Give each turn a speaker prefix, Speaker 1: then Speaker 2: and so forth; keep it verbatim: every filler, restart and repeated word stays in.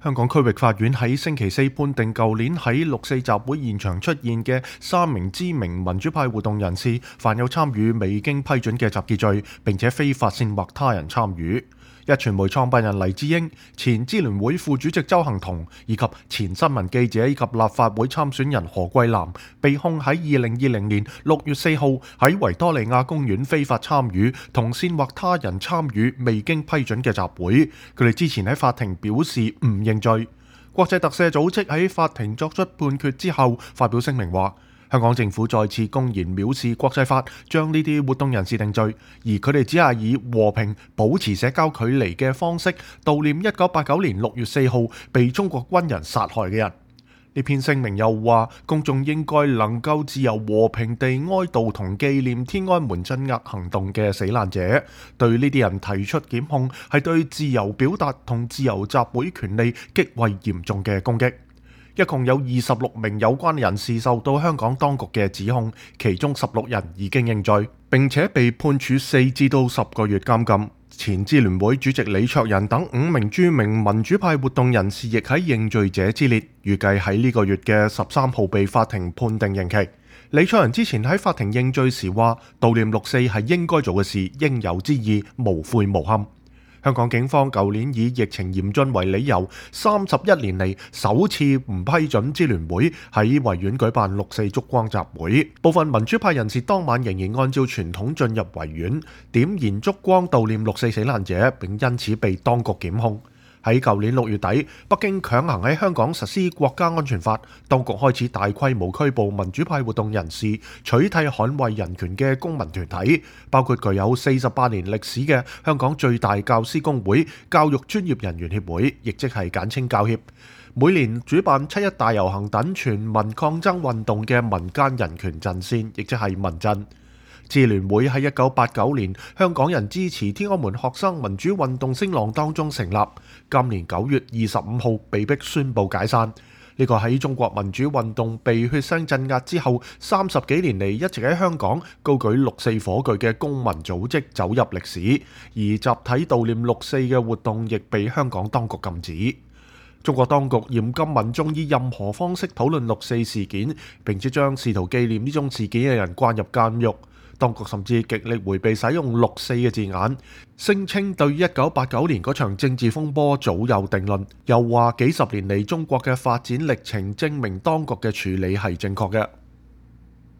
Speaker 1: 香港區域法院喺星期四判定，舊年喺六四集會現場出現嘅三名知名民主派活動人士犯有參與未經批准嘅集結罪，並且非法煽惑他人參與。壹傳媒創辦人黎智英、前支聯會副主席鄒幸彤以及前新聞記者以及立法會參選人何桂藍被控喺二零二零年六月四號喺維多利亞公園非法參與同煽惑他人參與未經批准嘅集會。佢哋之前喺法庭表示唔認罪。國際特赦組織喺法庭作出判決之後發表聲明話，香港政府再次公然藐視國際法，將呢啲活動人士定罪，而佢哋只係以和平、保持社交距離嘅方式悼念一九八九年六月四號被中國軍人殺害嘅人。呢篇聲明又話，公眾應該能夠自由和平地哀悼同紀念天安門鎮壓行動嘅死難者，對呢啲人提出檢控係對自由表達同自由集會權利極為嚴重嘅攻擊。一共有二十六名有關人士受到香港當局嘅指控，其中十六人已經認罪，並且被判處四至到十個月監禁。前支聯會主席李卓人等五名著名民主派活動人士亦喺認罪者之列，預計喺呢個月嘅十三號被法庭判定刑期。李卓人之前喺法庭認罪時話，悼念六四係應該做嘅事，應有之義，無悔無憾。香港警方舊年以疫情嚴峻為理由，三十一年嚟首次唔批准支聯會喺維園舉辦六四燭光集會。部分民主派人士當晚仍然按照傳統進入維園，點燃燭光悼念六四死難者，並因此被當局檢控。喺舊年六月底，北京強行喺香港實施國家安全法，當局開始大規模拘捕民主派活動人士，取締捍衛人權嘅公民團體，包括具有四十八年歷史嘅香港最大教師工會教育專業人員協會，亦即係簡稱教協，每年主辦七一大遊行等全民抗爭運動嘅民間人權陣線，亦即係民陣。支聯會喺一九八九年香港人支持天安門學生民主運動聲浪當中成立，今年九月二十五號被迫宣布解散。呢個喺中國民主運動被血腥鎮壓之後，三十幾年嚟一直喺香港高舉六四火炬嘅公民組織走入歷史，而集體悼念六四嘅活動亦被香港當局禁止。中國當局嚴禁民眾以任何方式討論六四事件，並且將試圖紀念呢種事件嘅人關入監獄。當局甚至極力迴避使用六四嘅字眼，聲稱對一九八九年嗰場政治風波早有定論，又話幾十年嚟中國嘅發展歷程證明當局嘅處理係正確嘅。